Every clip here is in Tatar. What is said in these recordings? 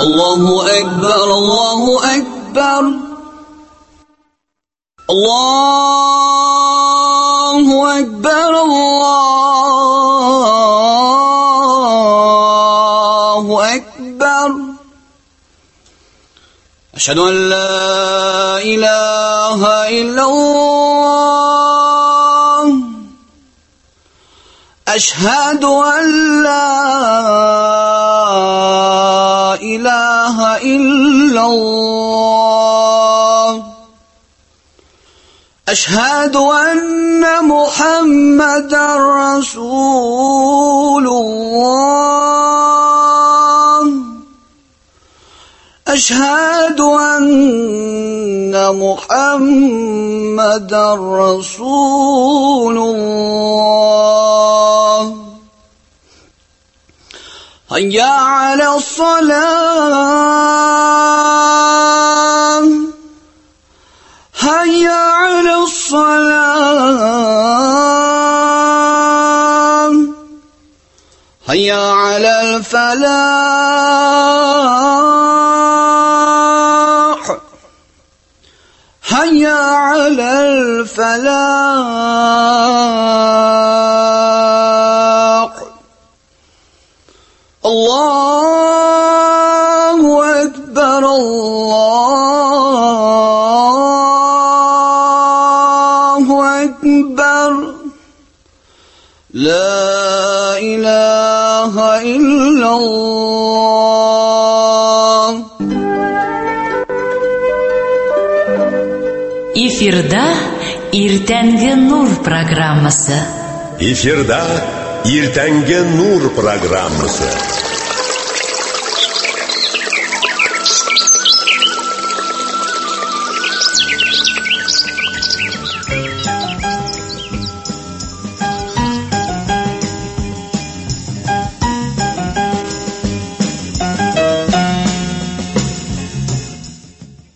الله أكبر الله أكبر الله أكبر الله أكبر أشهد أن لا إله إلا الله أشهد أن لا إله إلا الله أشهد أن محمدا رسول الله أشهد أن محمدا رسول الله هيا على الصلاة هيا على الصلاة هيا على الفلاح هيا على الفلاح الله أكبر الله أكبر لا إله إلا الله. Эфирда Иртәнге Нур программасы. Эфирда Иртәнге Нур программасы.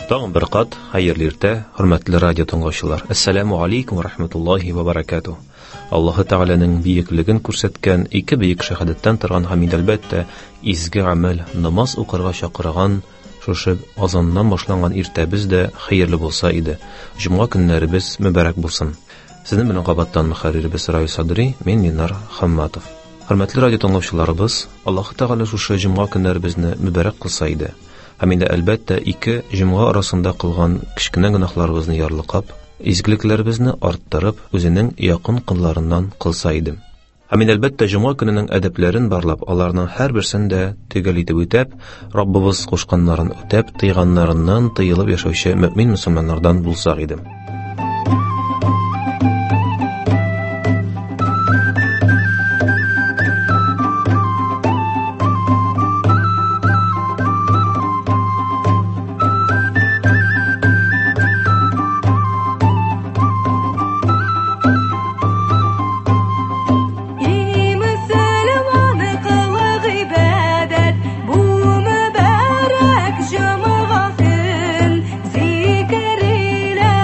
Тагын бер кат хәерле иртә, хөрмәтле радио тыңлаучылар. Әссәламу алейкум ва рахматуллахи ва баракатуh. Аллаһы Тәгаләнең бөеклеген күрсәткән ике бөек шәһадәттән торган һәм инде әлбәттә изге гамәл намаз укырга чакырган шушы азаннан башланган иртәбез дә хәерле булса иде. Җомга көннәребез мөбарәк булсын. Сезнең белән кабаттан мөхәрриребез Раил Садри, мин Ленар Хамматов. Хөрмәтле радио тыңлаучыларыбыз, Аллаһы Тәгалә шушы җомга көннәребезне мөбарәк кылса иде. Һәм инде әлбәттә ике җомга арасында кылган кечкенә гөнаһларыбызны ярлыкап, изгелекләребезне арттырып, үзенең якын кылларыннан кылса иде. Һәм инде әлбәттә җомга көненең әдәпләрен барлап, аларның һәрберсен дә төгәл итеп үтәп, Раббыбыз кушканнарын үтәп, тыйганнарыннан тыелып яшәүче мөмин мөселманнардан булсак иде. Ey müsəlman qılıq ibadət, bu mübarək cümğa gün, zikr ilə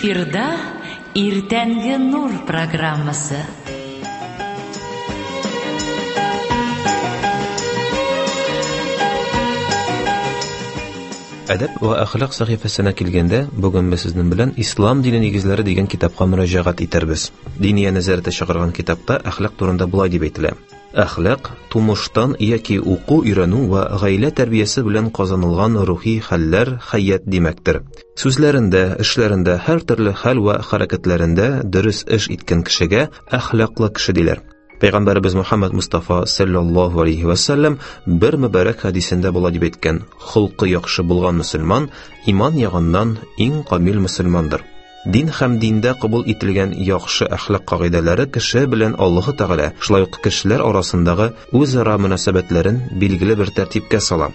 Эфирда Иртәнге Нур программасы. Әдәп вә әхлак сәхифәсенә килгәндә, бүген без сезнең белән Ислам дине нигезләре дигән китапка мөрәҗәгать итәрбез. Диния нәзарәте чыгарган китапта әхлак турында болай дип әйтелә. Әхлак тумыштан яки уку, өйрәнү вә гаилә тәрбиясе белән казанылган рухи хәлләр, хәят димәктер. Сүзләрендә, эшләрендә, һәр төрле хәл вә хәрәкәтләрендә дөрес эш иткән кешегә әхлаклы кеше диләр. Пәйгамбәребез Мухаммад Мустафа саллаллаһу алейхи ва саллям бер мөбарәк хәдисендә болай дип әйткән: "Холкы яхшы булган мөселман иман ягыннан иң камил мөселмандыр." Дин һәм диндә кабул ителгән яхшы әхлак кагыйдәләре кеше белән Аллаһы Тәгалә, шулай ук кешеләр арасындагы үзара мөнәсәбәтләрен билгеле бер тәртипкә сала.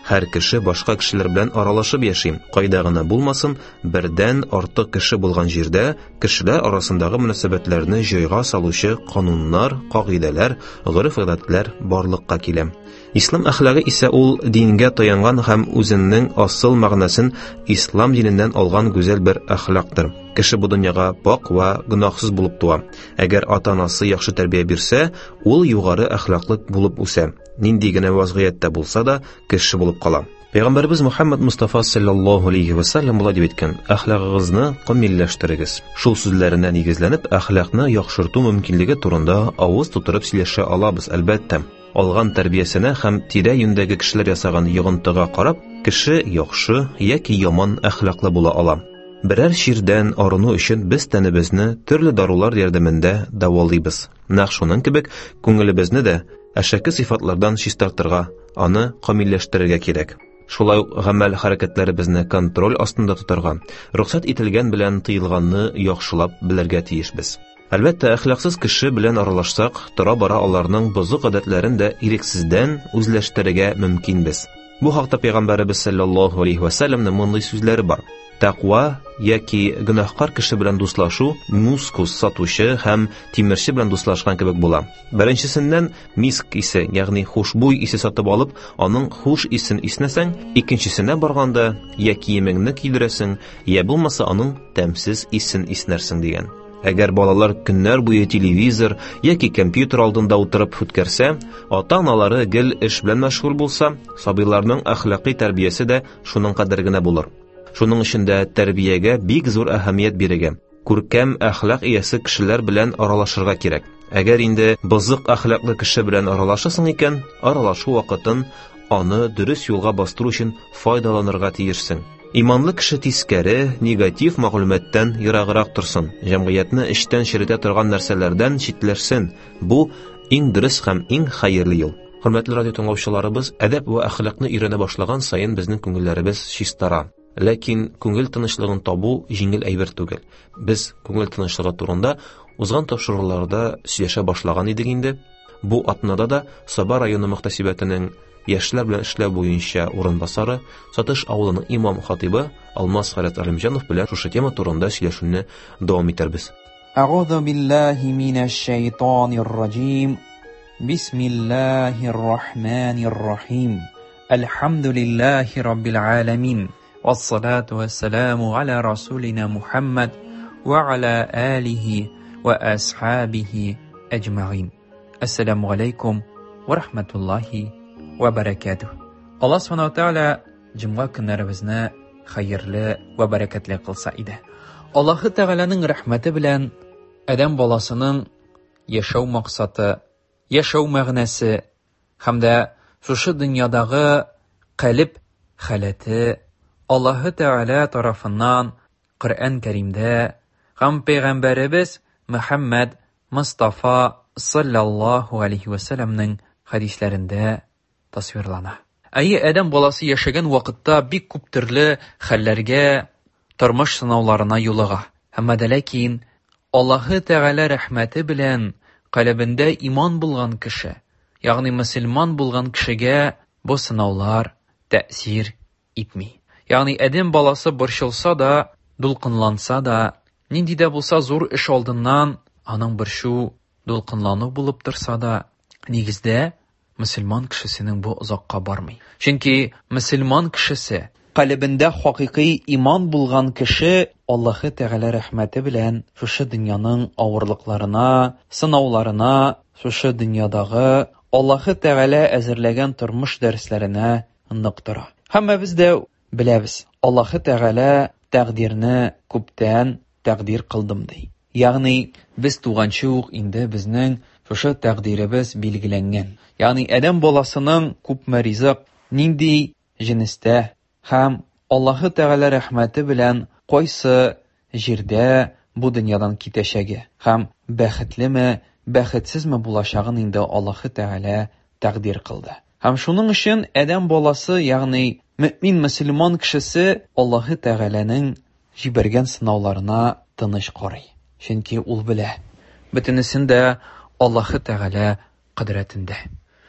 Һәр кеше башка кешеләр белән аралашып яши. Кайда гына булмасын, бердән артык кеше булган җирдә кешеләр арасындагы мөнәсәбәтләрне җайга салучы кануннар, кагыйдәләр, гореф-гадәтләр барлыкка килә. Ислам әхлагы исә ул дингә таянган һәм үзенең асыл мәгънәсен ислам диненнән алган гүзәл бер әхлактыр. Кеше бу дөньяга пак вә гөнаһсыз булып туа. Әгәр ата-анасы яхшы тәрбия бирсә, ул югары әхлаклы булып үсә. Нинди генә вазгыятьтә булса да, кеше булып кала. Пәйгамбәребез Мухаммад Мустафа саллаллаһу алейхи ва саллям болай дип әйткән: "Әхлагыгызны камилләштерегез." Шул сүзләренә нигезләнеп, әхлакны яхшырту мөмкинлеге турында авыз тутырып сөйләшә алабыз, әлбәттә. Алган тәрбиясенә һәм тирә-юньдәге кешеләр ясаган йогынтыга карап, кеше яхшы яки яман әхлаклы була ала. Берәр чирдән арыну өчен без тәнебезне төрле дарулар ярдәмендә дәвалыйбыз. Нәкъ шуның кебек күңелебезне дә әшәке сыйфатлардан чистартырга, аны камилләштерергә кирәк. Шулай ук гамәл хәрәкәтләребезне контроль астында тотарга, рөхсәт ителгән белән тыелганны яхшылап белергә тиешбез. Әлбәттә, әхлаксыз кеше белән аралашсак, тора-бара аларның бозык гадәтләрен дә ирексездән үзләштерергә мөмкинбез. Бу хакта Пәйгамбәребез саллаллаһу алейхи ва саллямның мондый сүзләре бар. Тәкъва яки гөнаһкар кеше белән дуслашу мускус сатучы һәм тимерче белән дуслашкан кебек була. Беренчесеннән миск исе, ягъни хушбуй исе сатып алып, аның хуш исен иснәсәң, икенчесенә барганда я киемеңне кидерәсең, я булмаса аның тәмсез исен иснәрсең дигән. Әгәр балалар көннәр буе телевизор яки компьютер алдында утырып үткәрсә, ата-аналары гел эш белән мәшгуль булса, сабыйларның әхлакый тәрбиясе дә шуның кадәр генә булыр. Шуның өчен дә тәрбиягә бик зур әһәмият бирергә, күркәм әхлак иясе кешеләр белән аралашырга кирәк. Әгәр инде бозык әхлаклы кеше белән аралашасың икән, аралашу вакытын аны дөрес юлга бастыру өчен файдаланырга тиешсең. Иманлы кеше тискәре, негатив мәгълүматтан ераграк торсын, җәмгыятьне эчтән черетә торган нәрсәләрдән читләшсен. Бу иң дөрес һәм иң хәерле юл. Хөрмәтле радио тыңлаучыларыбыз, әдәп вә әхлакны өйрәнә башлаган саен безнең күңелләребез чистара. Ләкин күңел тынычлыгын табу җиңел әйбер түгел. Без күңел тынычлыгы турында узган тапшыруларда сөйләшә башлаган идек инде. Бу атнада да Саба районы мөхтәсибәтенең яшьләр белән эшләү буенча урынбасары, Сатыш авылының имам хатибы Алмаз Хәрәт Алимҗанов белән шушы тема турында сөйләшүне дәвам итәрбез. أعوذ بالله من الشيطان الرجيم بسم الله الرحمن الرحيم الحمد لله رب العالمين والصلاة والسلام على رسولنا محمد وعلى آله وأصحابه أجمعين السلام عليكم ورحمة الله وبركاته الله سبحانه وتعالى җомга көннәребезне хәерле вә бәрәкәтле кылса иде. Аллаһы Тәгаләнең рәхмәте белән адәм баласының яшәү максаты, яшәү мәгънәсе һәм дә шушы дөньядагы калеб халәте Аллаһы Тәгалә тарафыннан Коръән Кәримдә һәм пәйгамбәребез Мөхәммәд Мостафа саллаллаһу алейхи ва сәлламнең хәдисләрендә тасвирлана. Әйе, адәм баласы яшәгән вакытта бик күп төрле хәлләргә, тормыш сынауларына юлыга. Әмма дә ләкин Аллаһы Тәгалә рәхмәте белән калебендә иман булган кеше, ягъни мөселман булган кешегә бу сынаулар тәэсир итми. Ягъни адәм баласы борчылса да, дулкынланса да, нинди дә булса зур эш алдыннан аның борчу, дулкынлану булып торса да, нигездә мөселман кешесенең бу озакка бармый. Чөнки мөселман кешесе Калебендә хакыйкый иман булган кеше Аллаһы Тәгалә рәхмәте белән шушы дөньяның авырлыкларына, сынауларына, шушы дөньядагы Аллаһы Тәгалә әзерләгән тормыш дәресләренә нык тора. Һәммәбез дә беләбез, Аллаһы Тәгалә тәкъдирне күптән тәкъдир кылдым ди. Ягъни без туганчы ук инде безнең шушы тәкъдиребез билгеләнгән. Ягъни адәм баласының күпме ризык, нинди җенестә һәм Аллаһы Тәгалә рәхмәте белән кайсы җирдә бу дөньядан китәчәге һәм бәхетлеме, бәхетсезме булачагын инде Аллаһы Тәгалә тәкъдир кылды. Һәм шуның өчен адәм баласы, ягъни мөэмин мөселман кешесе Аллаһы Тәгаләнең җибәргән сынауларына тыныч карый. Чөнки ул белә, бөтенесен дә Аллаһы Тәгалә кодрәтендә.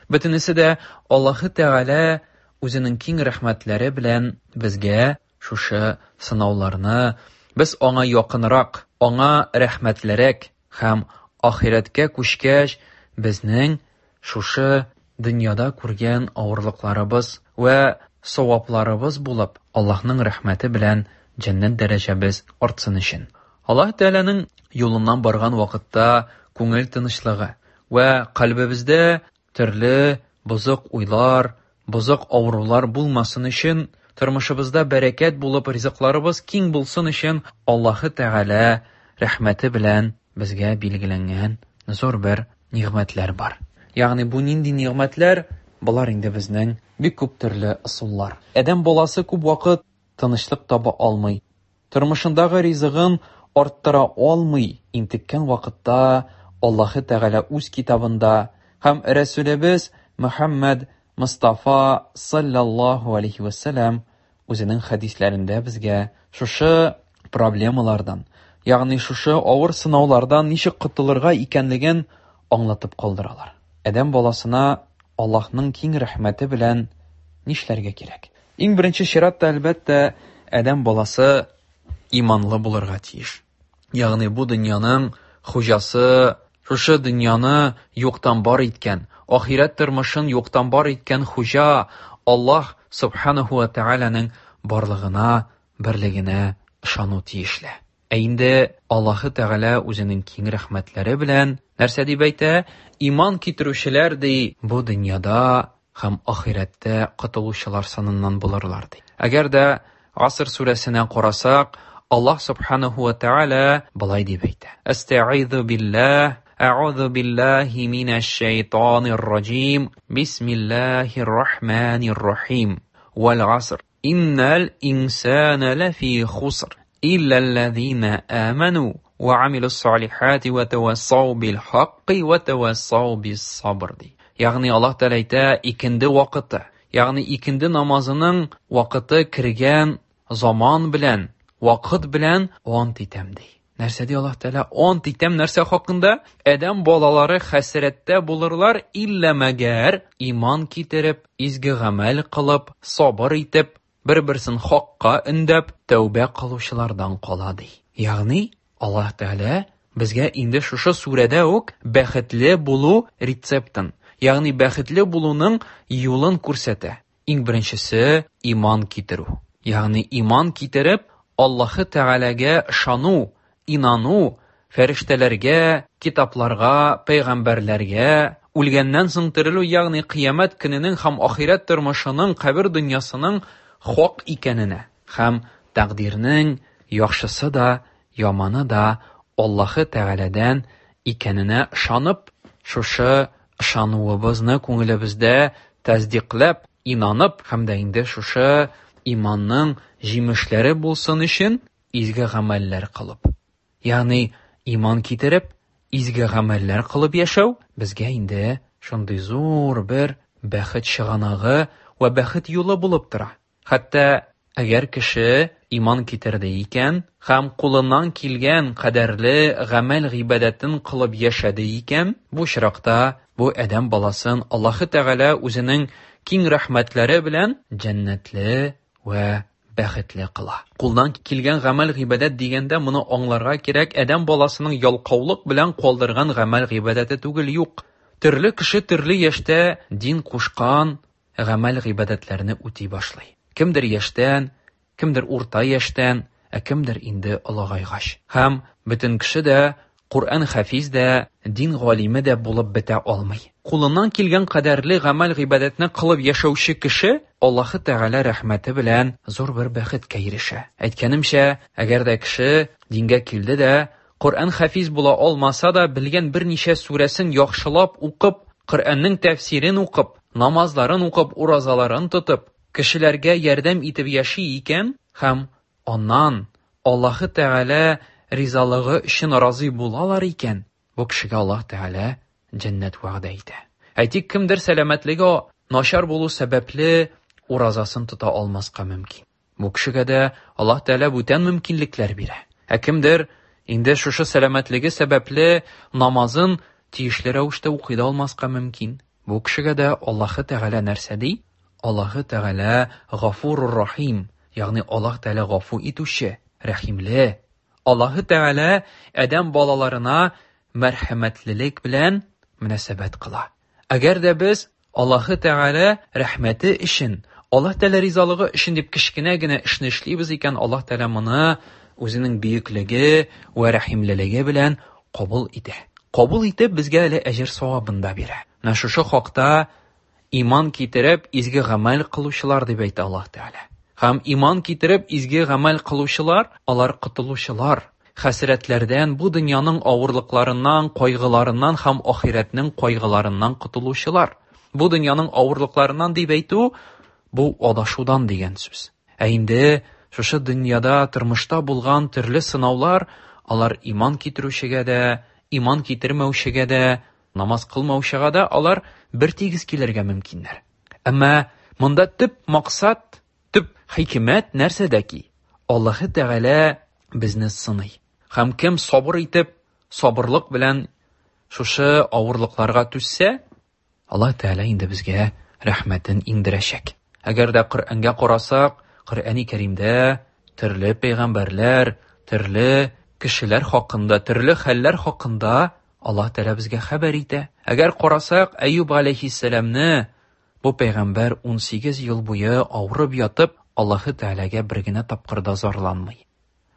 Бөтенесе дә Аллаһы Тәгалә үзенең киң рәхмәтләре белән безгә шушы сынауларны, без аңа якынрак, аңа рәхмәтлерәк һәм ахирәткә күчкәч, безнең шушы дөньяда күргән авырлыкларыбыз вә савапларыбыз булып, Аллаһның рәхмәте белән җәннәт дәрәҗәбез артсын өчен. Аллаһ Тәгаләнең юлыннан барган вакытта күңел тынычлыгы вә кальбебездә төрле бозык уйлар, бозык авырулар булмасын өчен, тормышыбызда бәрәкәт булып, ризыкларыбыз киң булсын өчен Аллаһы Тәгалә рәхмәте белән безгә билгеләнгән зур бер нигъмәтләр бар. Ягъни бу нинди нигъмәтләр? Болар инде безнең бик күп төрле ысуллар. Адәм баласы күп вакыт тынычлык таба алмый. Тормышындагы ризыгын арттыра алмый интеккән вакытта Аллаһы Тәгалә үз китабында һәм Рәсүлебез Мөхәммәд Мостафа саллаллаһу алейхи ва сәлләм үзенең хәдисләрендә безгә шушы проблемалардан, ягъни шушы авыр сынаулардан ничек котылырга икәнлеген аңлатып калдыралар. Адәм баласына Аллаһның киң рәхмәте белән нишләргә кирәк? Иң беренче чиратта, әлбәттә, адәм баласы иманлы булырга тиеш. Ягъни бу дөньяның хуҗасы, шушы дөньяны юктан бар иткән, ахирәт тормышын юктан бар иткән хуҗа Аллаһ субханаху ва тааляның барлыгына, берлегенә ышану тиешле. Ә инде Аллаһы Тәгалә үзенең киң рәхмәтләре белән нәрсә дип әйтә? Иман китерүчеләр ди, бу дөньяда һәм ахирәттә котылучылар саныннан булырлар ди. Әгәр дә Аср сүрәсенә карасак, Аллаһ субханаху ва тааля былай дип әйтә: Әстәгыйзу биллаһ, әгъузу биллаһи минәш шайтанир раҗим. Бисмиллаһир рахманир рахим. Вал аср. Иннал инсана лафи хуср. Илля аллазина аману ва амилус салихати ва тавассау бил хакки ва тавассау бис сабр ди. Ягъни Аллаһ Тәгалә әйтә, икенде вакыты, ягъни икенде намазының вакыты кергән заман белән, вакыт белән ант итәм ди. Нәрсә ди Аллаһ Тәгалә? Ант итәм нәрсә хакында? Адәм балалары хәсрәттә булырлар, иллә мәгәр иман китереп, изге гамәл кылып, сабыр итеп, бер-берсен хакка өндәп, тәүбә кылучылардан кала ди. Ягъни Аллаһ Тәгалә безгә инде шушы сүрәдә үк бәхетле булу рецептын, ягъни бәхетле булуның юлын күрсәтә. Иң беренчесе иман китерү. Ягъни иман китереп, Аллаһы Тәгаләгә ышану, инану, фәрештәләргә, китапларга, пәйгамбәрләргә, үлгәннән соң терелү, ягъни кыямәт көненең һәм ахирәт тормышының, кабер дөньясының хак икәненә һәм тәкъдирнең яхшысы да, яманы да Аллаһы Тәгаләдән икәненә ышанып, шушы ышануыбызны күңелебездә тәсдикләп, инанып һәм дә инде шушы иманның җимешләре булсын өчен изге гамәлләр кылып. Ягъни иман китереп, изге гамәлләр кылып яшәү безгә инде шундый зур бер бәхет чыганагы вә бәхет юлы булып тора. Хәтта әгәр кеше иман китерде икән һәм кулыннан килгән кадәрле гамәл гыйбадәтен кылып яшәде икән, бу очракта бу адәм баласын Аллаһы Тәгалә үзенең киң рәхмәтләре белән җәннәтле вә бәхетле кыла. Кулдан килгән гамәл гыйбадәт дигәндә моны аңларга кирәк, адәм баласының ялкаулык белән калдырган гамәл гыйбадәте түгел, юк. Төрле кеше төрле яшьтә дин кушкан гамәл гыйбадәтләрне үти башлый. Кемдер яшьтән, кемдер урта яшьтән, ә кемдер инде олыгайгач. Һәм бөтен кеше дә Коръән хафиз дә, дин галиме дә булып бетә алмый. Кулыннан килгән кадәрле гамәл-гыйбадәтне кылып яшәүче кеше Аллаһы Тәгалә рәхмәте белән зур бер бәхеткә ирешә. Әйткәнемчә, әгәр дә кеше дингә килде дә, Коръән хафиз була алмаса да, белгән берничә сүрәсен яхшылап укып, Коръәннең тәфсирен укып, намазларын укып, уразаларын тотып, кешеләргә ярдәм итеп яши икән һәм аннан Аллаһы Тәгалә ризалыгы өчен разый булалар икән, бу кешегә Аллаһ Тәгалә җәннәт вәгъдә итә. Әйтик, кемдер сәламәтлеге начар булу сәбәпле уразасын тота алмаска мөмкин. Бу кешегә дә Аллаһ Тәгалә бүтән мөмкинлекләр бирә. Ә кемдер инде шушы сәламәтлеге сәбәпле намазын тиешле рәвештә укый да алмаска мөмкин. Бу кешегә дә Аллаһы Тәгалә нәрсә ди? Аллаһы Тәгалә Гафурур Рахим, ягъни Аллаһ Тәгалә гафу итүче, рәхимле. Аллаһы Тәгалә адәм балаларына мәрхәмәтлелек белән мөнәсәбәт кыла. Әгәр дә без Аллаһы Тәгалә рәхмәте өчен, Аллаһ Тәгалә ризалыгы өчен дип кечкенә генә эшне эшлибез икән, Аллаһ Тәгалә моны үзенең бөеклеге вә рәхимлелеге белән кабул итә. Кабул итеп безгә әле әҗер савабын да бирә. Менә шушы хакта иман китереп изге гамәл кылучылар дип әйтә Аллаһ Тәгалә. Һәм иман китереп изге гамәл кылучылар, алар котылучылар. Хәсрәтләрдән, бу дөньяның авырлыкларыннан, кайгыларыннан һәм ахирәтнең кайгыларыннан котылучылар. Бу дөньяның авырлыкларыннан дип әйтү, бу адашудан дигән сүз. Ә инде шушы дөньяда, тормышта булган төрле сынаулар, алар иман китерүчегә дә, иман китермәүчегә дә, намаз кылмаучыга да алар бер тигез килергә мөмкиннәр. Әмма монда төп максат, төп хикмәт нәрсәдә ки? Аллаһы Тәгалә безне сыный. Һәм кем сабыр итеп, сабырлык белән шушы авырлыкларга түзсә, Аллаһ Тәгалә инде безгә рәхмәтен иңдерәчәк. Әгәр дә Коръәнгә карасак, Коръәни Кәримдә төрле пәйгамбәрләр, төрле кешеләр хакында, төрле хәлләр хакында Аллаһ Тәгалә безгә хәбәр итә. Әгәр карасак, Әюб алейхиссәламне бу пәйгамбәр 18 ел буе авырып ятып, Аллаһы Тәгаләгә бер генә тапкыр да зарланмый.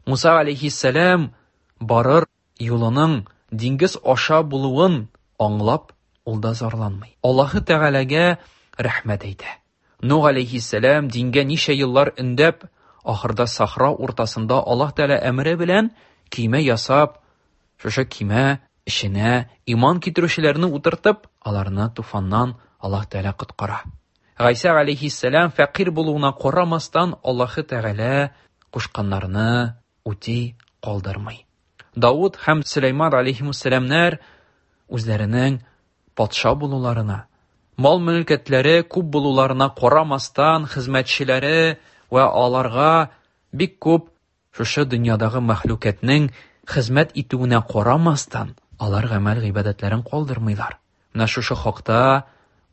Муса алейхиссәлам барыр юлының диңгез аша булуын аңлап, ул да зарланмый. Аллаһы Тәгаләгә рәхмәт әйтә. Нух алейхиссәлам дингә ничә еллар өндәп, ахырда сахра уртасында Аллаһ Тәгалә әмере белән көймә ясап, шушы көймә эченә иман китерүчеләрне утыртып, аларны туфаннан Аллаһ Тәгалә коткара. Гайсә алейхиссәлам фәкыйрь булуына карамастан, Аллаһы Тәгалә кушканнарны үти калдырмый. Давыд һәм Сөләйман алейхимуссәламнәр үзләренең патша булуларына, мал-мөлкәтләре күп булуларына карамастан, хезмәтчеләре вә аларга бик күп шушы дөньядагы мәхлукатның хезмәт итүенә карамастан, алар гамәл-гыйбадәтләрен калдырмыйлар. Менә шушы хакта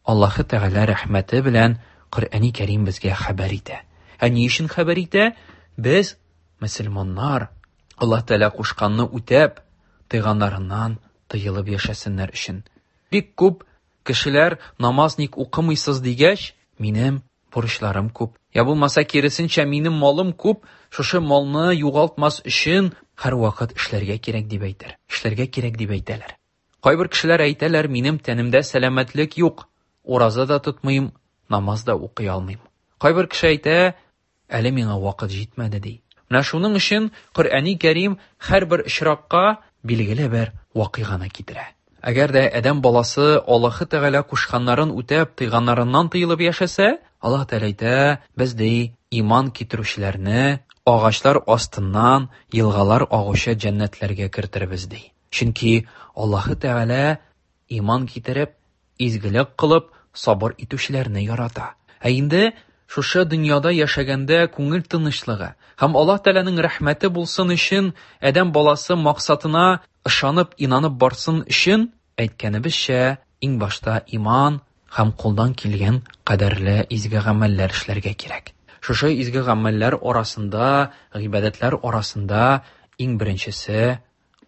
Аллаһы Тәгалә рәхмәте белән Коръәни Кәрим безгә хәбәр итә. Ә ни өчен хәбәр итә? Без, мөселманнар, Аллаһ Тәгалә кушканны үтәп, тыйганнарыннан тыелып яшәсеннәр өчен. Бик күп кешеләр намаз ник укымыйсыз дигәч, минем бурычларым күп. Я булмаса киресенчә, минем малым күп, шушы малны югалтмас өчен һәрвакыт эшләргә кирәк дип әйтер. Эшләргә кирәк дип әйтәләр. Кайбер кешеләр әйтәләр, минем тәнемдә сәламәтлек юк, ураза да тотмыйм, намаз да укый алмыйм. Кайбер кеше әйтә, әле миңа вакыт җитмәде ди. Менә шуның өчен Коръәни Кәрим һәрбер очракка билгеле бер вакыйганы китерә. Әгәр дә адәм баласы Аллаһы Тәгалә кушканнарын үтәп, тыйганнарыннан тыелып яшәсә, Аллаһ Тәгалә әйтә, без ди иман китерүчеләрне агачлар астыннан елгалар агучы җәннәтләргә кертербез ди. Чөнки Аллаһы Тәгалә иман китереп, изгелек кылып, сабыр итүчеләрне ярата. Ә инде шушы дөньяда яшәгәндә күңел тынычлыгы һәм Аллаһ Тәгаләнең рәхмәте булсын өчен, адәм баласы максатына ышанып, инанып барсын өчен, әйткәнебезчә, иң башта иман һәм кулдан килгән кадәрле изге гамәлләр эшләргә кирәк. Шушы изге гамәлләр арасында, гыйбадәтләр арасында иң беренчесе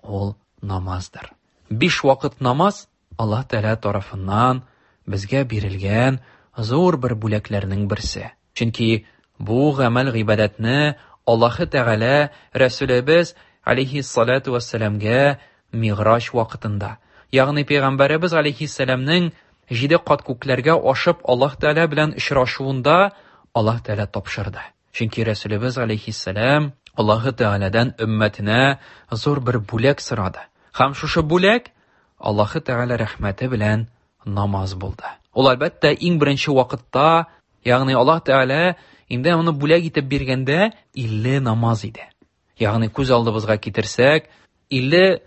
ул намаздыр. 5 вакыт намаз Аллаһ Тәгалә тарафыннан безгә бирелгән зур бер бүләкләрнең берсе. Чөнки Бу гамәл гыйбадәтне Аллаһы Тәгалә Рәсүлебез алейһиссалату вассәламгә Мигъраҗ вакытында, ягъни пәйгамбәребез алейһиссәламнең җиде кат күкләргә ашып Аллаһ Тәгалә белән очрашуында Аллаһ Тәгалә тапшырды. Чөнки Рәсүлебез алейһиссәлам Аллаһы Тәгаләдән өммәтенә зур бер бүләк сорады. Һәм шушы бүләк Аллаһы Тәгалә рәхмәте белән намаз булды. Ул әлбәттә иң беренче вакытта, ягъни Аллаһ Тәгалә инде моны бүләк итеп биргәндә 50 намаз иде. Ягъни күз алдыбызга китерсәк, 50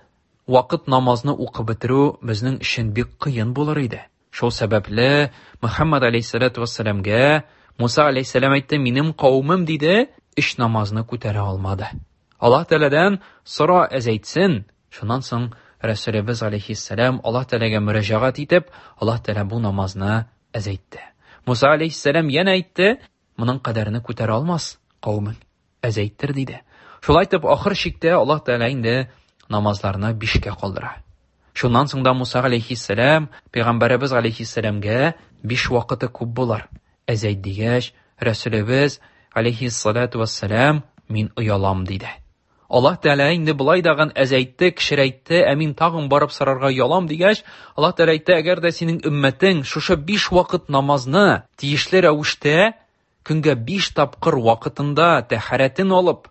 вакыт намазны укып бетерү безнең өчен бик кыен булыр иде. Шул сәбәпле Мөхәммәд алейһиссалату вассаламга Муса алейһиссалам әйтте, минем кавемем диде, өч намазны күтәрә алмады. Аллаһ Тәгаләдән сора әзәйтсен. Шуннан соң Рәсүлебез алейһиссалам Аллаһ Тәгаләгә мөрәҗәгать итеп, Аллаһ Тәгалә бу намазны әзәйтте. Муса алейһиссалам янә әйтте, моның кадәрне күтәрә алмас кавемең, әзәйттер диде. Шулай итеп, ахыр чиктә Аллаһ Тәгалә инде намазларны бишкә калдыра. Шуннан соң да Муса алейһиссалам пәйгамбәребез алейһиссаламгә биш вакыты күп булыр. Әзәйт дигәч, Рәсүлебез алейһиссалату вассалам мин оялам диде. Аллаһ Тәгалә инде болай дагын әзәйтте, кечерәйтте, ә мин тагын барып сорарга оялам дигәч, Аллаһ Тәгалә әйтте, әгәр дә синең өммәтең шушы биш вакыт намазны тиешле рәвештә көнгә биш тапкыр вакытында тәһарәтен алып,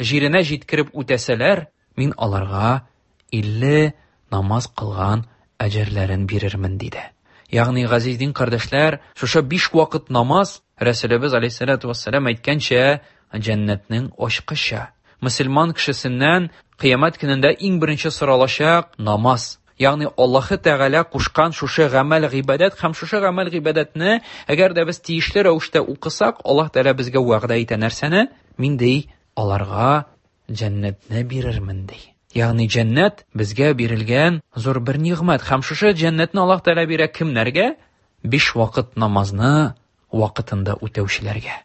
җиренә җиткереп үтәсәләр, мин аларга 50 намаз кылган әҗерләрен бирермен диде. Ягъни, газиз дин кардәшләр, шушы биш вакыт намаз Рәсүлебез алейһиссалату вассалам әйткәнчә, җәннәтнең ачкычы. Мөселман кешесеннән кыямәт көнендә иң беренче соралачак намаз. Ягъни Аллаһы Тәгалә кушкан шушы гамәл гыйбадәт һәм шушы гамәл гыйбадәтне әгәр дә без тиешле рәвештә укысак, Аллаһ Тәгалә безгә вәгъдә итә нәрсәне? Мин ди, аларга җәннәтне бирермен ди. Ягъни җәннәт безгә бирелгән зур бер нигъмәт һәм шушы җәннәтне Аллаһ Тәгалә бирә кемнәргә? Биш вакыт намазны вакытында үтәүчеләргә.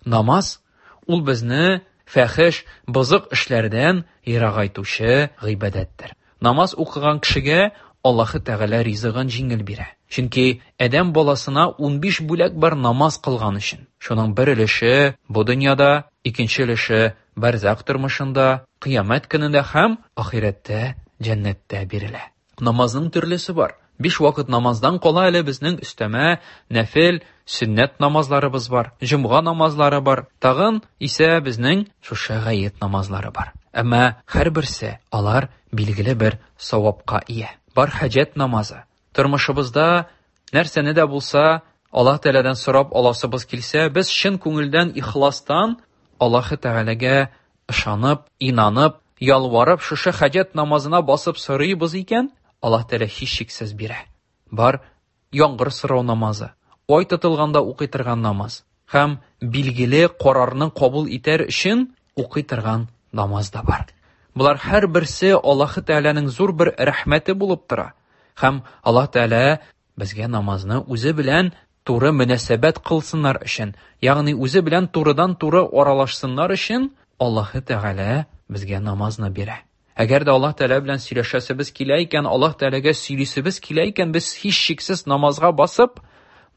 Намаз ул безне фәхеш, бозык эшләрдән ерагайтучы гыйбадәттер. Намаз укыган кешегә Аллаһы Тәгалә ризыгын җиңел бирә. Чөнки адәм баласына 15 бүләк бар намаз кылган өчен. Шуның бер өлеше бу дөньяда, икенче өлеше бәрзах тормышында, кыямәт көнендә һәм ахирәттә җәннәттә бирелә. Намазның төрлесе бар. Биш вакыт намаздан кала әле безнең өстәмә нәфел, сөннәт намазларыбыз бар, җомга намазлары бар. Тагын исә безнең шушы гает намазлары бар. Әмма һәрберсе алар билгеле бер савапка ия. Бар хаҗәт намазы. Тормышыбызда нәрсәне дә булса Аллаһ Тәгаләдән сорап аласыбыз килсә, без чын күңелдән, ихластан Аллаһ Тәгаләгә ышанып, инанып, ялварып шушы хаҗәт намазына басып сорыйбыз икән, Аллаһ Тәгалә һичшиксез бирә. Бар яңгыр сорау намазы, ай тотылганда укый торган намаз һәм билгеле карарны кабул итәр өчен укый торган намаз да бар. Болар һәрберсе Аллаһ Тәгаләнең зур бер рәхмәте булып тора. Һәм Аллаһ Тәгалә безгә намазны үзе белән туры мөнәсәбәт кылсыннар өчен, ягъни үзе белән турыдан-туры аралашсыннар өчен Аллаһ Тәгалә безгә намазны бирә. Әгәр дә Аллаһ Тәгалә белән сөйләшәсебез килә икән, Аллаһ Тәгаләгә сөйлисебез килә икән, без һичшиксез намазга басып,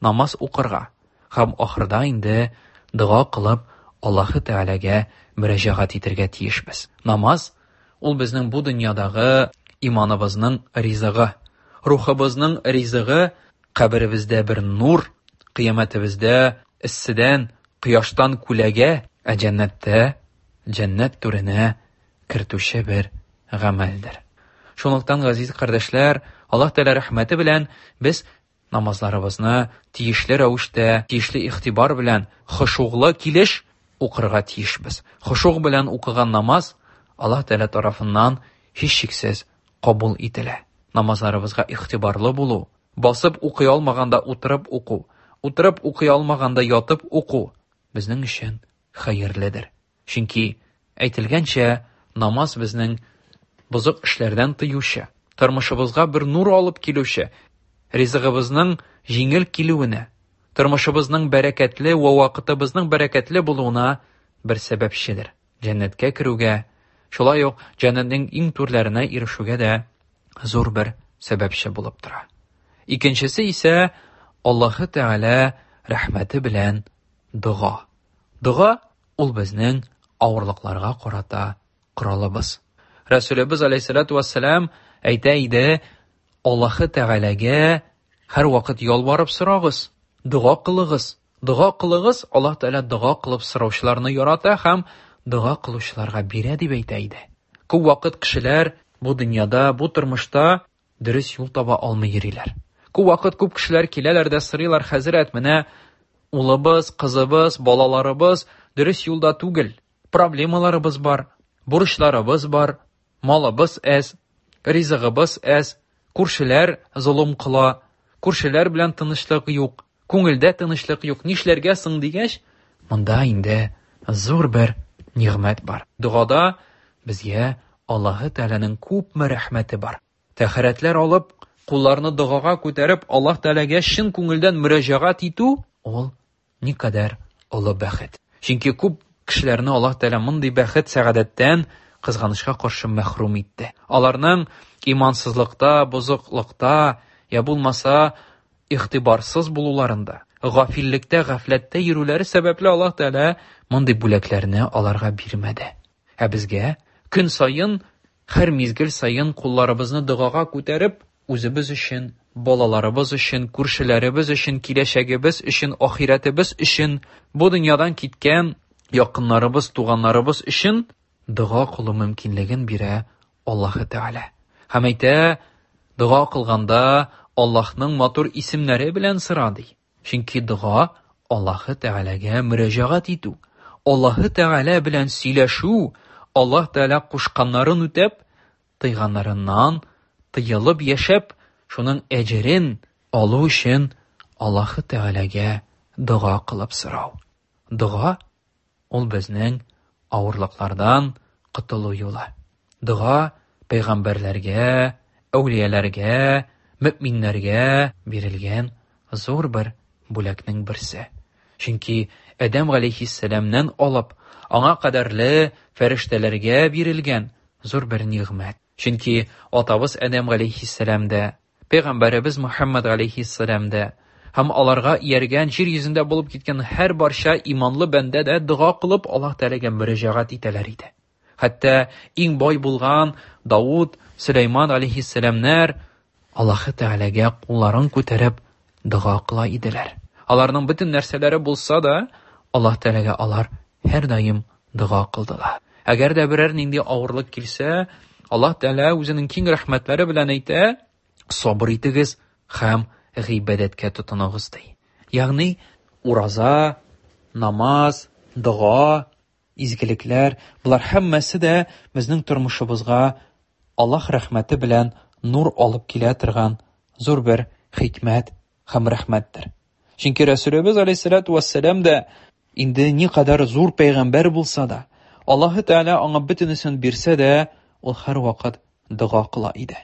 намаз укырга һәм ахырда инде дога кылып Аллаһ Тәгаләгә мөрәҗәгать итәргә тиешбез. Намаз ул безнең бу дөньядагы иманыбызның ризыгы, рухыбызның ризыгы, каберебездә бер нур, кыямәтебездә эсседән, кояштан күләгә, ә җәннәттә җәннәт түренә кертүче бер гамәлдер. Шунлыктан, газиз кардәшләр, Аллаһ Тәгалә рәхмәте белән без намазларыбызны тиешле рәвештә, тиешле игътибар белән, хошуглы килеш укырга тиешбез. Хошуг белән укыган намаз Аллаһ Тәгалә тарафыннан һичшиксез кабул ителә. Намазларыбызга игътибарлы булу, басып укый алмаганда утырып уку, утырып укый алмаганда ятып уку безнең өчен хәерледер. Чөнки әйтелгәнчә, намаз безнең бозык эшләрдән тыючы, тормышыбызга бер нур алып килүче, ризыгыбызның җиңел килүенә, тормышыбызның бәрәкәтле вә вакытыбызның бәрәкәтле булуына бер сәбәпчедер. Җәннәткә керүгә, шулай ук җәннәтнең иң түрләренә ирешүгә дә зур бер сәбәпче булып тора. Икенчесе исә Аллаһы Тәгалә рәхмәте белән дога. Дога ул безнең авырлыкларга карата коралыбыз. Рәсүлебез алейһиссалату вассалам әйтә иде, Аллаһы Тәгаләгә һәрвакыт ялварып сорагыз, дога кылыгыз. Дога кылыгыз, Аллаһ Тәгалә дога кылып сораучыларны ярата һәм дога кылучыларга бирә дип әйтә иде. Күп вакыт кешеләр бу дөньяда, бу тормышта дөрес юл таба алмый йөриләр. Күп вакыт күп кешеләр киләләр дә сорыйлар, хәзрәт, менә улыбыз, кызыбыз, балаларыбыз дөрес юлда түгел. Проблемаларыбыз бар, бурычларыбыз бар, малыбыз әз, ризыгыбыз әз, күршеләр золым кыла, күршеләр белән тынычлык юк, күңелдә тынычлык юк, нишләргә соң дигәч, монда инде зур бер нигъмәт бар. Догада безгә Аллаһы Тәгаләнең күпме рәхмәте бар. Тәһарәтләр алып, кулларны догага күтәреп, Аллаһ Тәгаләгә чын күңелдән мөрәҗәгать итү ул никадәр олы бәхет. Чөнки күп кешеләрне Аллаһ Тәгалә мондый бәхет, сәгадәттән кызганычка каршы мәхрүм итте. Аларның имансызлыкта, бозыклыкта, я булмаса игътибарсыз булуларында, гафиллектә, гафләттә йөрүләре сәбәпле Аллаһ Тәгалә мондый бүләкләрне аларга бирмәде. Ә безгә көн саен, һәр мизгел саен кулларыбызны догага күтәреп, үзебез өчен, балаларыбыз өчен, күршеләребез өчен, киләчәгебез өчен, ахирәтебез өчен, бу дөньядан киткән якыннарыбыз, туганнарыбыз өчен дога кылу мөмкинлеген бирә Аллаһы Тәгалә. Һәм әйтә, дога кылганда Аллаһның матур исемнәре белән сора ди. Чөнки дога Аллаһы Тәгаләгә мөрәҗәгать итү, Аллаһы Тәгалә белән сөйләшү, Аллаһ Тәгалә кушканнарын үтәп, тыйганнарыннан тыелып яшәп, шуның әҗерен алу өчен Аллаһы Тәгаләгә дога кылып сорау. Дога ул безнең авырлыклардан котылу юлы. Дога пәйгамбәрләргә, әүлияләргә, мөэминнәргә бирелгән зур бер бүләкнең берсе. Чөнки Адәм галәйһиссәламнән алып, аңа кадәрле фәрештәләргә бирелгән зур бер нигъмәт. Чөнки атабыз Адәм галәйһиссәлам дә, пәйгамбәребез Мөхәммәд галәйһиссәлам дә һәм аларга ияргән җир йөзендә булып киткән һәр барча иманлы бәндә дә дога кылып Аллаһ Тәгаләгә мөрәҗәгать итәләр иде. Хәтта иң бай булган Давуд, Сөләйман алейһиссәламнәр Аллаһы Тәгаләгә кулларын күтәреп дога кыла иделәр. Аларның бөтен нәрсәләре булса да, Аллаһ Тәгаләгә алар һәрдаим дога кылдылар. Әгәр дә берәр нинди авырлык килсә, Аллаһ Тәгалә үзенең киң рәхмәтләре белән әйтә, сабыр итегез һәм гыйбадәткә тотыныгыз ди. Ягъни ураза, намаз, дога, изгелекләр, болар һәммәсе дә безнең тормышыбызга Аллаһ рәхмәте белән нур алып килә торган зур бер хикмәт һәм рәхмәттер. Чөнки Рәсүлебез алейһиссалату вассалам да инде никадәр зур пәйгамбәр булса да, Аллаһы Тәгалә аңа бөтенесен бирсә дә, ул һәрвакыт дога кыла иде.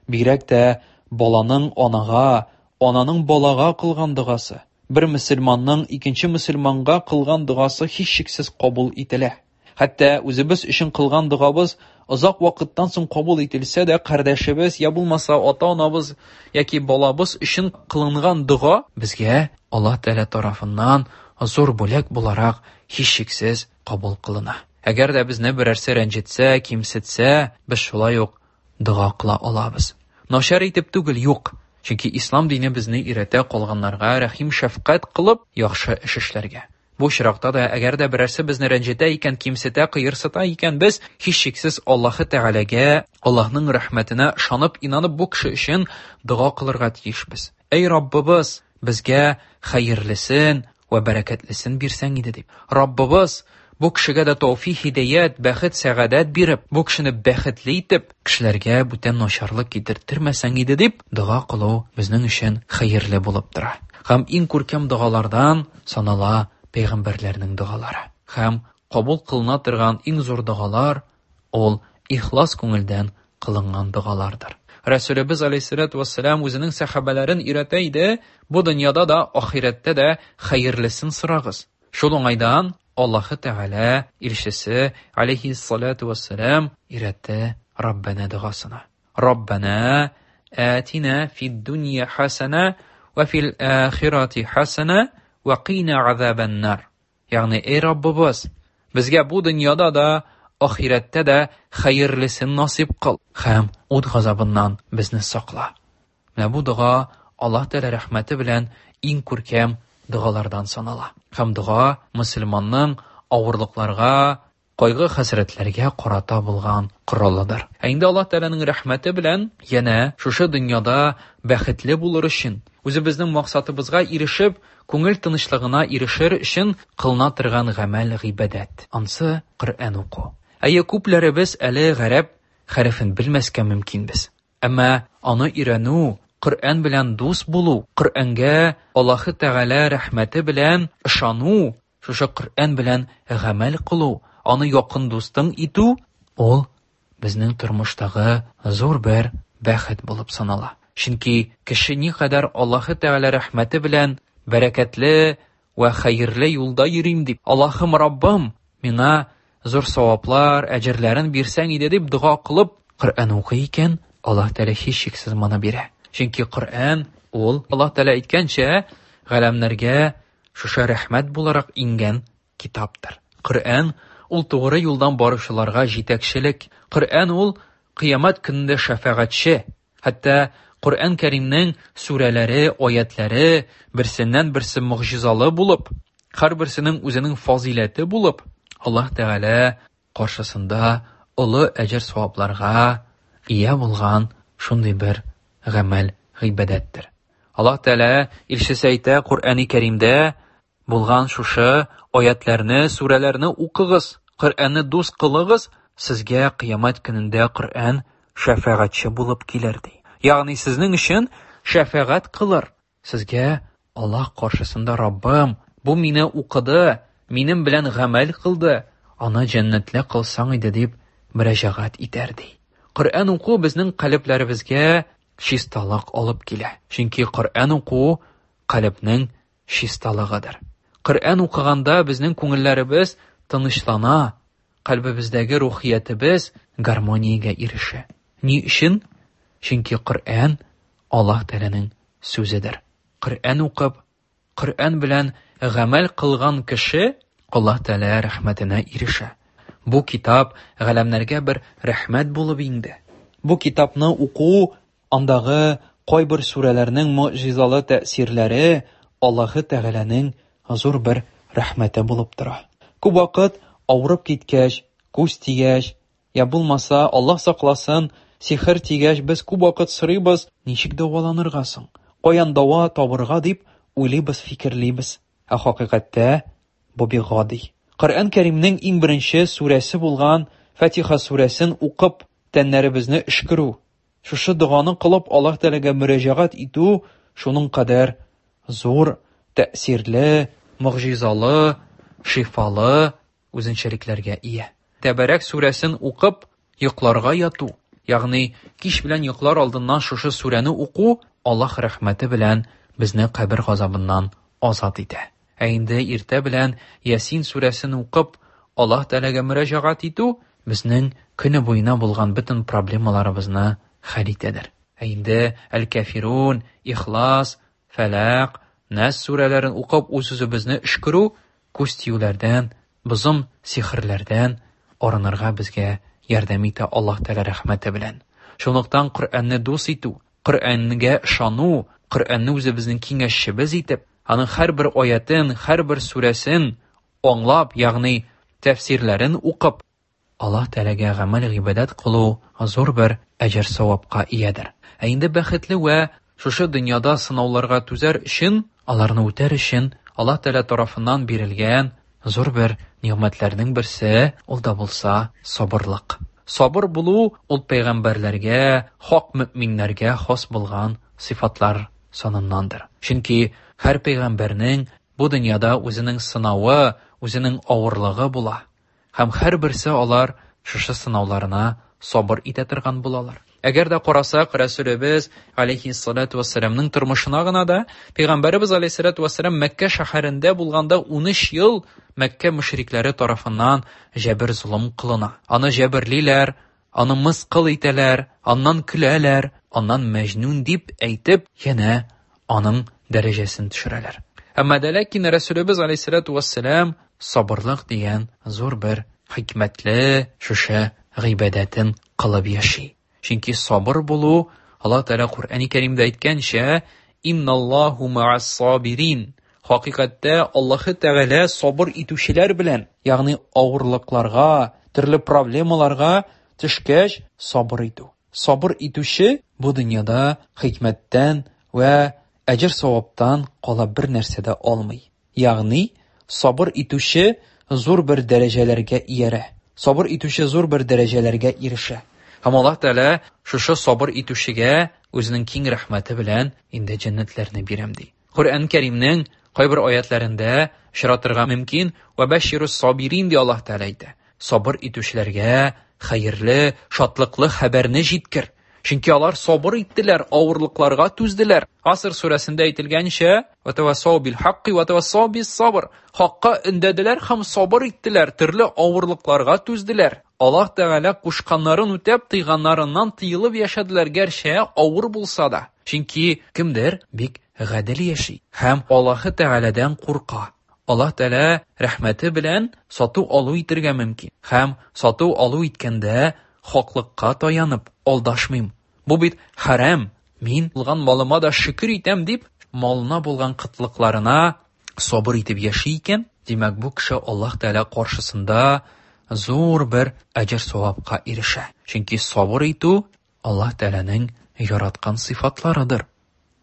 Бигрәк тә баланың анага, ананың балага кылган догасы, бер мөселманның икенче мөселманга кылган догасы һичшиксез кабул ителә. Хәтта үзебез өчен кылган догабыз озак вакыттан соң кабул ителсә дә, кардәшебез я булмаса ата-анабыз яки балабыз өчен кылынган дога безгә Аллаһ Тәгалә тарафыннан зур бүләк буларак һичшиксез кабул кылына. Әгәр дә безне берәрсе рәнҗетсә, кимсетсә, без шулай ук дога кыла алабыз. Начар итеп түгел, юк. Чөнки ислам дине безне өйрәтә калганнарга рәхим-шәфкать кылып, яхшы эш эшләргә. Бу очракта да, әгәр дә берәрсе безне рәнҗетә икән, кимсетә, кыерсыта икән, без һичшиксез Аллаһы Тәгаләгә, Аллаһның рәхмәтенә ышанып, инанып бу кеше өчен дога кылырга тиешбез. Әй Раббыбыз, безгә хәерлесен вә бәрәкәтлесен бирсәң иде дип. Раббыбыз, бу кешегә дә тәүфик, һидаят, бәхет, сәгадәт биреп, бу кешене бәхетле итеп, кешеләргә бүтән начарлык китертермәсәң иде дип дога кылу безнең өчен хәерле булып тора. Һәм иң күркәм догалардан санала пәйгамбәрләрнең догалары. Һәм кабул кылына торган иң зур догалар ул ихлас күңелдән кылынган догалардыр. Рәсүлебез алейһиссалату вассалам үзенең сәхабәләрен өйрәтә иде, бу дөньяда да, ахирәттә дә хәерлесен сорагыз. Шул уңайдан Аллаһы Тәгалә илчесе алейһиссалату вассалам өйрәтте Раббана догасына. Раббана атина фид дунья хасана ва фил ахирати хасана ва кина азабаннар. Ягъни, эй Раббыбыз, безгә бу дөньяда да, ахирәттә дә хәерлесен насыйп кыл һәм ут газабыннан безне сакла. Менә бу дога Аллаһ Тәгалә рәхмәте белән иң күркәм догалардан санала. Һәм дога мөселманның авырлыкларга, кайгы-хәсрәтләргә карата булган коралыдыр. Ә инде Аллаһ Тәгаләнең рәхмәте белән янә шушы дөньяда бәхетле булыр өчен, үзебезнең максатыбызга ирешеп, күңел тынычлыгына ирешер өчен кылына торган гамәл гыйбадәт. Ансы Коръән уку. Әйе, күпләребез әле гарәп хәрефен белмәскә мөмкинбез. Әмма аны өйрәнү, Коръән белән дус булу, Коръәнгә Аллаһы Тәгалә рәхмәте белән ышану, шушы Коръән белән гамәл кылу, аны якын дустың итү, ул безнең тормыштагы зур бер бәхет булып санала. Чөнки кеше никадәр Аллаһы Тәгалә рәхмәте белән бәрәкәтле вә хәерле юлда йөрим дип, Аллаһым Раббым, миңа зур саваплар, әҗерләрен бирсәң иде дип дога кылып, Коръән укый икән, Аллаһ Тәгалә һичшиксез моны бирә. Чөнки Коръән ул Аллаһ Тәгалә әйткәнчә, галәмнәргә шушы рәхмәт буларак иңгән китаптыр. Коръән ул тугры юлдан баручыларга җитәкчелек. Коръән ул кыямәт көнендә шәфәгатьче. Хәтта Коръән Кәримнең сүрәләре, аятләре берсеннән-берсе могҗизалы булып, һәрберсенең үзенең фазыйләте булып, Аллаһ Тәгалә каршысында олы әҗер-савапларга ия булган шундый бер гамәл гыйбадәттер. Аллаһ Тәгалә илчесе әйтә Коръәни Кәримдә булган шушы аятләрне, сүрәләрне укыгыз, Коръәнне дус кылыгыз, сезгә кыямәт көнендә Коръән шәфәгатьче булып килер ди. Ягъни сезнең өчен шәфәгать кылыр. Сезгә Аллаһ каршысында Раббым, бу мине укыды, минем белән гамәл кылды, аны җәннәтле кылсаң иде дип мөрәҗәгать итәр ди. Коръән уку безнең калебләребезгә чисталык алып килә. Чөнки Коръән уку калебнең чисталыгыдыр. Коръән укыганда безнең күңелләребез тынычлана, кальбебездәге рухиятебез гармониягә ирешә. Ни өчен? Чөнки Коръән Аллаһ Тәгаләнең сүзедер. Коръән укып, Коръән белән гамәл кылган кеше Аллаһ Тәгалә рәхмәтенә ирешә. Бу китап галәмнәргә бер рәхмәт булып иңде. Бу китапны уку, андагы кайбер сүрәләрнең могҗизалы тәэсирләре Аллаһы Тәгаләнең зур бер рәхмәте булып тора. Күп вакыт авырып киткәч, күз тигәч, я булмаса, Аллаһ сакласын, сихер тигәч, без күп вакыт сорыйбыз, ничек дәваланырга соң? Каян дава табырга дип уйлыйбыз, фикерлибез. Ә хакыйкатьтә бу бик гади. Коръән Кәримнең иң беренче сүрәсе булган Фатиха сүрәсен укып, тәннәребезне өшкерү, шушы доганы кылып Аллаһ Тәгаләгә мөрәҗәгать итү шуның кадәр зур, тәэсирле, могҗизалы, шифалы үзенчәлекләргә ия. Тәбәрәк сүрәсен укып, йокларга яту, ягъни кич белән йоклар алдыннан шушы сүрәне уку Аллаһ рәхмәте белән безне кабер газабыннан азат итә. Ә инде иртә белән Ясин сүрәсен укып, Аллаһ Тәгаләгә мөрәҗәгать итү безнең көне буена булган бөтен проблемаларыбызны хәл итәдер. Ә инде Әл-Кафирун, Ихлас, Фәләк, Нәс сүрәләрен укып үз-үзебезне өшкерү, күз тиюләрдән, бозым сихерләрдән арынырга безгә ярдәм итә Аллаһ Тәгалә рәхмәте белән. Шунлыктан Коръәнне дус итү, Коръәнгә ышану, Коръәнне үзебезнең киңәшчебез итеп, аның һәрбер аятен, һәрбер сүрәсен аңлап, ягъни тәфсирләрен укып, Аллаһ Тәгаләгә гамәл-гыйбадәт кылу зур бер әҗер-савапка иядер. Ә инде бәхетле вә шушы дөньяда сынауларга түзәр өчен, аларны үтәр өчен Аллаһ Тәгалә тарафыннан бирелгән зур бер нигъмәтләрнең берсе, ул да булса сабырлык. Сабыр булу ул пәйгамбәрләргә, хак мөэминнәргә хас булган сыйфатлар саныннандыр. Чөнки һәр пәйгамбәрнең бу дөньяда үзенең сынавы, үзенең авырлыгы була. Һәм һәрберсе алар шушы сынауларына сабыр итә торган булалар. Әгәр дә карасак, Рәсүлебез алейхиссалату вассаламның тормышына гына да, Пәйгамбәребез алейхиссалату вассалам Мәккә шәһәрендә булганда 13 ел Мәккә мөшрикләре тарафыннан җәбер-золым кылына. Аны җәберлиләр, аны мыскыл итәләр, аннан көләләр, аннан мәҗнүн дип әйтеп, янә аның дәрәҗәсен төшерәләр. Әмма дә ләкин Рәсүлебез алейхиссалату вассалам сабырлык дигән зур бер хикмәтле шушы гыйбадәтен кылып яши. Чөнки сабыр булу, Аллаһ Тәгалә Коръәни Кәримдә әйткәнчә, Инналлаһу ма'ас сабирин. Хакыйкатьтә Аллаһы Тәгалә сабыр итүчеләр белән, ягъни авырлыкларга, төрле проблемаларга төшкәч, сабыр итү. Сабыр итүче бу дөньяда хикмәттән вә әҗер-саваптан кала бер нәрсә дә алмый. Ягъни, сабыр итүче зур бер дәрәҗәләргә иярә. Сабыр итүче зур бер дәрәҗәләргә ирешә. Һәм Аллаһ Тәгалә шушы сабыр итүчегә үзенең киң рәхмәте белән инде җәннәтләрне бирәм ди. Коръән Кәримнең кайбер аятларында очратырга мөмкин, Вә бәширус сабирин ди Аллаһ Тәгалә әйтә. Сабыр итүчеләргә хәерле, шатлыклы хәбәрне җиткер. Чөнки алар сабыр иттеләр, авырлыкларга түзделәр. Аср сүрәсендә әйтелгәнчә, Вә тавассау бил хакки вә тавассау бис сабр. Хакка өндәделәр һәм сабыр иттеләр, төрле авырлыкларга түзделәр. Аллаһ Тәгалә кушканнарын үтәп, тыйганнарыннан тыелып яшәделәр, гәрчә авыр булса да. Чөнки кемдер бик гадел яши һәм Аллаһ Тәгаләдән курка. Аллаһ Тәгалә рәхмәте белән сату-алу итергә мөмкин. Һәм сату-алу иткәндә хаклыкка таянып, алдашмыйм. Бу бит хәрам. Мин булган малыма да шөкер итәм дип, малына булган кытлыкларына сабыр итеп яши икән, димәк, бу кеше Аллаһ Тәгалә каршысында зур бер әҗер-савапка ирешә. Чөнки сабыр итү Аллаһ Тәгаләнең яраткан сыйфатларыдыр.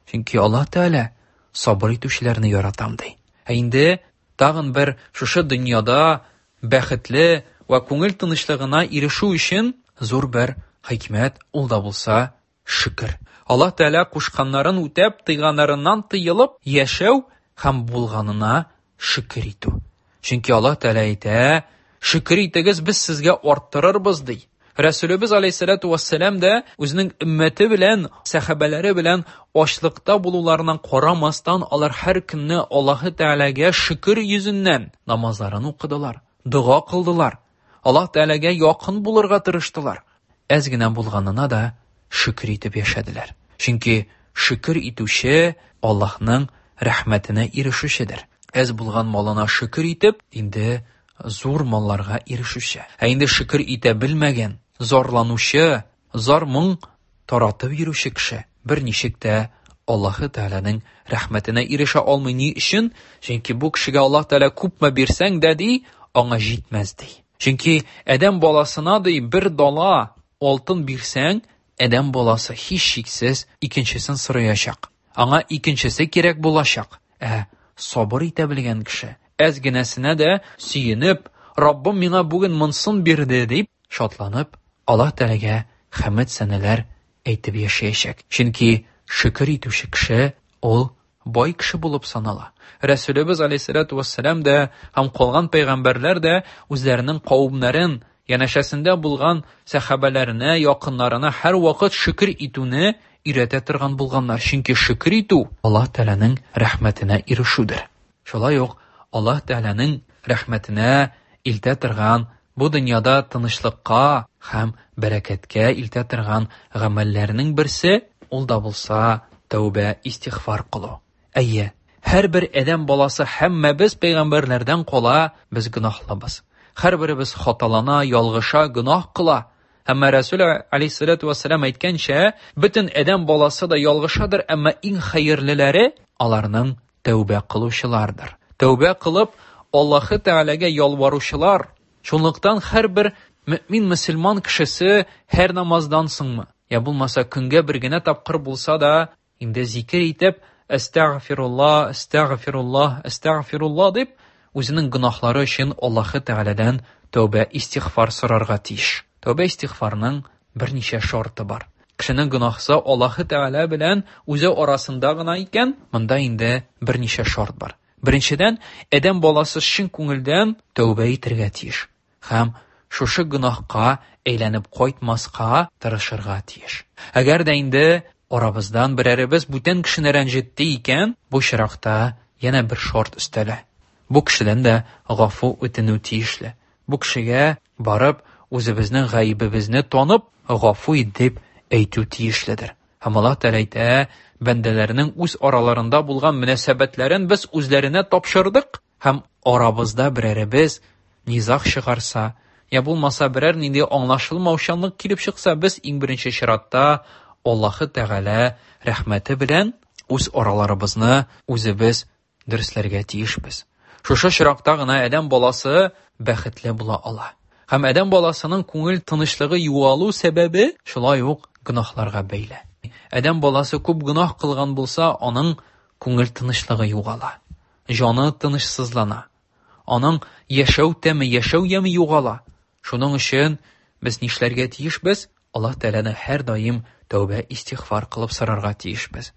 Чөнки Аллаһ Тәгалә сабыр итүчеләрне яратам ди. Ә инде тагын бер шушы дөньяда бәхетле вә күңел тынычлыгына ирешү өчен зур бер хикмәт, ул да булса шөкер. Аллаһ Тәгалә кушканнарын үтәп, тыйганнарыннан тыелып яшәү һәм булганына шөкер итү. Чөнки Аллаһ Тәгалә әйтә, шөкер итегез, без сезгә арттырырбыз ди. Рәсүлебез алейһиссалату вассалам да үзенең өммәте белән, сәхабәләре белән ачлыкта булуларына карамастан, алар һәр көнне Аллаһы Тәгаләгә шөкер йөзеннән намазларын укыдылар, дога кылдылар. Аллаһ Тәгаләгә якын булырга тырыштылар. Әз генә булганына да шөкер итеп яшәделәр. Чөнки шөкер итүче Аллаһның рәхмәтенә ирешүчедер. Әз булган малына шөкер итеп, инде зур малларга ирешүче. Ә инде шөкер итә белмәгән, зарланучы, зар-моң таратып йөрүче кеше берничек тә Аллаһы Тәгаләнең рәхмәтенә ирешә алмый. Ни өчен? Чөнки бу кешегә Аллаһ Тәгалә күпме бирсәң дә ди, аңа җитмәс ди. Чөнки адәм баласына ди бер дала алтын бирсәң, адәм баласы һичшиксез икенчесен сораячак. Аңа икенчесе кирәк булачак. Ә сабыр итә белгән кеше әз генәсенә дә сөенеп, Раббым миңа бүген монсын бирде дип шатланып, Аллаһ Тәгаләгә хәмд сәнәләр әйтеп яшәячәк. Чөнки шөкер итүче кеше ул бай кеше булып санала. Рәсүлебез алейһиссалату вассалам да һәм калган пәйгамбәрләр дә үзләренең кавемнәрен, янәшәсендә булган сәхабәләренә, якыннарына һәрвакыт шөкер итүне өйрәтә торган булганнар. Чөнки шөкер итү Аллаһ Тәгаләнең рәхмәтенә ирешүдер. Шулай ук Аллаһ Тәгаләнең рәхмәтенә илтә торган, бу дөньяда тынычлыкка һәм бәрәкәткә илтә торган гамәлләрнең берсе, ул да булса тәүбә, истигъфар кылу. Әйе, һәрбер адәм баласы, һәммәбез пәйгамбәрләрдән кала, без гөнаһлыбыз. Һәрберебез хаталана, ялгыша, гөнаһ кыла. Әмма Рәсүл алейһиссалату вассалам әйткәнчә, бөтен адәм баласы да ялгышадыр, әмма иң хәерлеләре аларның тәүбә кылучылардыр. Тәүбә кылып, Аллаһы Тәгаләгә ялваручылар. Шунлыктан һәрбер мөмин мөселман кешесе һәр намаздан соңмы, я булмаса көнгә бер генә тапкыр булса да, инде зикер итеп, Әстәгъфируллаһ, әстәгъфируллаһ, әстәгъфируллаһ дип, үзенең гөнаһлары өчен Аллаһы Тәгаләдән тәүбә, истигъфар сорарга тиеш. Тәүбә истигъфарның берничә шарты бар. Кешенең гөнаһсы Аллаһы Тәгалә белән үзе арасында гына икән, монда инде берничә шарт бар. Беренчедән, адәм баласы чын күңелдән тәүбә итәргә тиеш һәм шушы гөнаһка әйләнеп кайтмаска тырышырга тиеш. Әгәр дә инде арабыздан берәребез бүтән кешене рәнҗетте икән, бу очракта янә бер шарт өстәлә. Бу кешедән дә гафу үтенү тиешле. Бу кешегә барып, үзебезнең гаебебезне танып, гафу ит дип әйтү тиешледер. Һәм Аллаһ Тәгалә әйтә, бәндәләрнең үз араларында булган мөнәсәбәтләрен без үзләренә тапшырдык. Һәм арабызда берәребез низаг чыгарса, я булмаса берәр нинди аңлашылмаучанлык килеп чыкса, без иң беренче чиратта Аллаһы Тәгалә рәхмәте белән үз араларыбызны үзебез дөресләргә тиешбез. Шушы очракта гына адәм баласы бәхетле була ала. Һәм адәм баласының күңел тынычлыгы югалу сәбәбе шулай ук гөнаһларга бәйле. Адәм баласы күп гөнаһ кылган булса, аның күңел тынычлыгы югала, җаны тынычсызлана, аның яшәү тәме, яшәү яме югала. Шуның өчен без нишләргә тиешбез? Аллаһ Тәгаләне һәрдаим тәүбә истигъфар кылып сорарга тиешбез.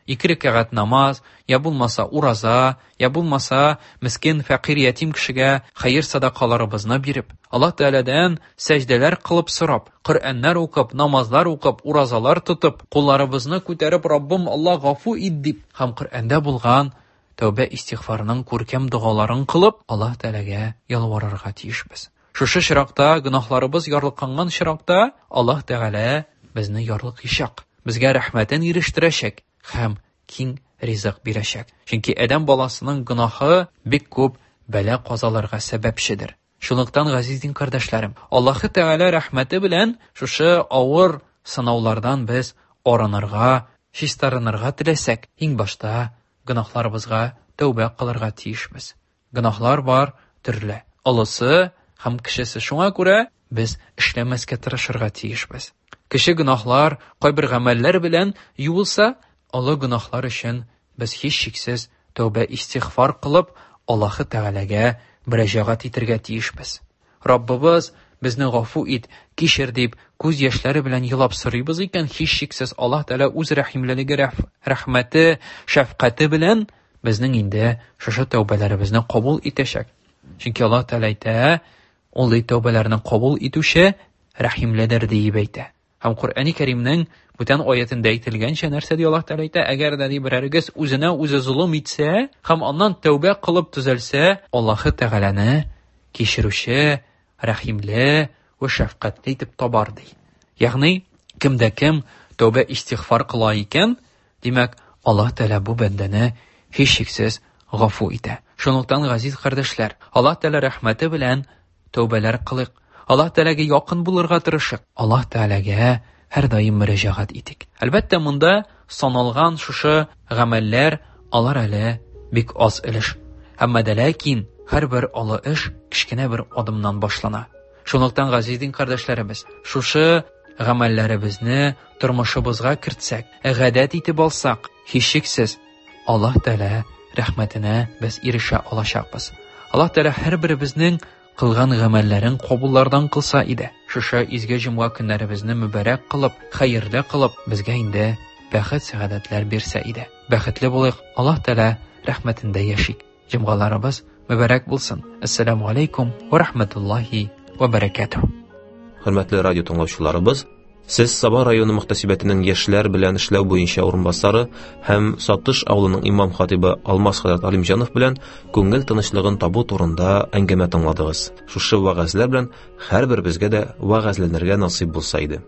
Ике рәкәгать намаз, я булмаса ураза, я булмаса мескен, фәкыйрь, ятим кешегә хәер садакаларыбызны биреп, Аллаһ Тәгаләдән сәҗдәләр кылып сорап, Коръәннәр укып, намазлар укып, уразалар тотып, кулларыбызны күтәреп, Раббым Аллаһ гафу ит дип һәм Коръәндә булган тәүбә истигъфарының күркәм догаларын кылып, Аллаһ Тәгаләгә ялварырга тиешбез. Шушы чиракта, гөнаһларыбыз ярлыканган чиракта, Аллаһ Тәгалә безне ярлыкыйчак, безгә рәхмәтен ирештерәчәк һәм киң ризык бирәчәк. Чөнки адәм баласының гөнаһы бик күп бәла-казаларга сәбәпчедер. Шунлыктан, газиз дин кардәшләрем, Аллаһы Тәгалә рәхмәте белән шушы авыр сынаулардан без арынырга, чистарынырга теләсәк, иң башта гөнаһларыбызга тәүбә кылырга тиешбез. Гөнаһлар бар төрле, олысы һәм кечесе. Шуңа күрә без эшләмәскә тырышырга тиешбез. Кече гөнаһлар кайбер гамәлләр белән юылса, олы гөнаһлар өчен без һичшиксез тәүбә истигъфар кылып, Аллаһы Тәгаләгә мөрәҗәгать итергә тиешбез. Раббыбыз, безне гафу ит, кичер дип, күз яшьләре белән елап сорыйбыз икән, һичшиксез Аллаһ Тәгалә үз рәхимлелеге, рәхмәте, шәфкате белән безнең инде шушы тәүбәләребезне кабул итәчәк. Чөнки Аллаһ Тәгалә әйтә, ул ди тәүбәләрне кабул итүче рәхимледер диеп әйтә. Һәм Коръәни Кәримнең бүтән аятендә әйтелгәнчә, нәрсә ди Аллаһ Тәгалә әйтә? Әгәр дә ди берәрегез үзенә үзе золым итсә һәм аннан тәүбә кылып төзәлсә, Аллаһы Тәгаләне кичерүче, рәхимле вә шәфкатьле итеп табар ди. Ягъни, кем дә кем тәүбә истигъфар кыла икән, димәк, Аллаһ Тәгалә бу бәндәне һичшиксез гафу итә. Шунлыктан, газиз кардәшләр, Аллаһ Тәгалә рәхмәте белән тәүбәләр кылыйк. Аллаһ Тәгаләгә якын булырга тырышыйк. Аллаһ Тәгаләгә һәрдаим мөрәҗәгать итик. Әлбәттә, монда саналган шушы гамәлләр, алар әле бик аз өлеш. Әмма дә ләкин һәрбер олы эш кечкенә бер адымнан башлана. Шунлыктан, газиз дин кардәшләребез, шушы гамәлләребезне тормышыбызга кертсәк, гадәт итеп алсак, һичшиксез Аллаһ Тәгалә рәхмәтенә без ирешә алачакбыз. Аллаһ Тәгалә һәрберебезнең кылган гамәлләрен кабуллардан кылса иде. Шушы изге җомга көннәребезне мөбарәк кылып, хәерле кылып, безгә инде бәхет, сәгадәтләр бирсә иде. Бәхетле булыйк, Аллаһ Тәгалә рәхмәтендә яшик. Җомгаларыбыз мөбарәк булсын. Әссәламү алейкум ва рахматуллахи ва баракатуһ. Хөрмәтле радио тыңлаучыларыбыз, сез Саба районы мөхтәсибәтенең яшьләр белән эшләү буенча урынбасары һәм Сатыш авылының имам хатибы Алмаз хәзрәт Алимҗанов белән күңел тынычлыгын табу турында әңгәмә тыңладыгыз. Шушы вәгазьләр белән һәрберебезгә дә вәгазьләнергә насыйп булса иде.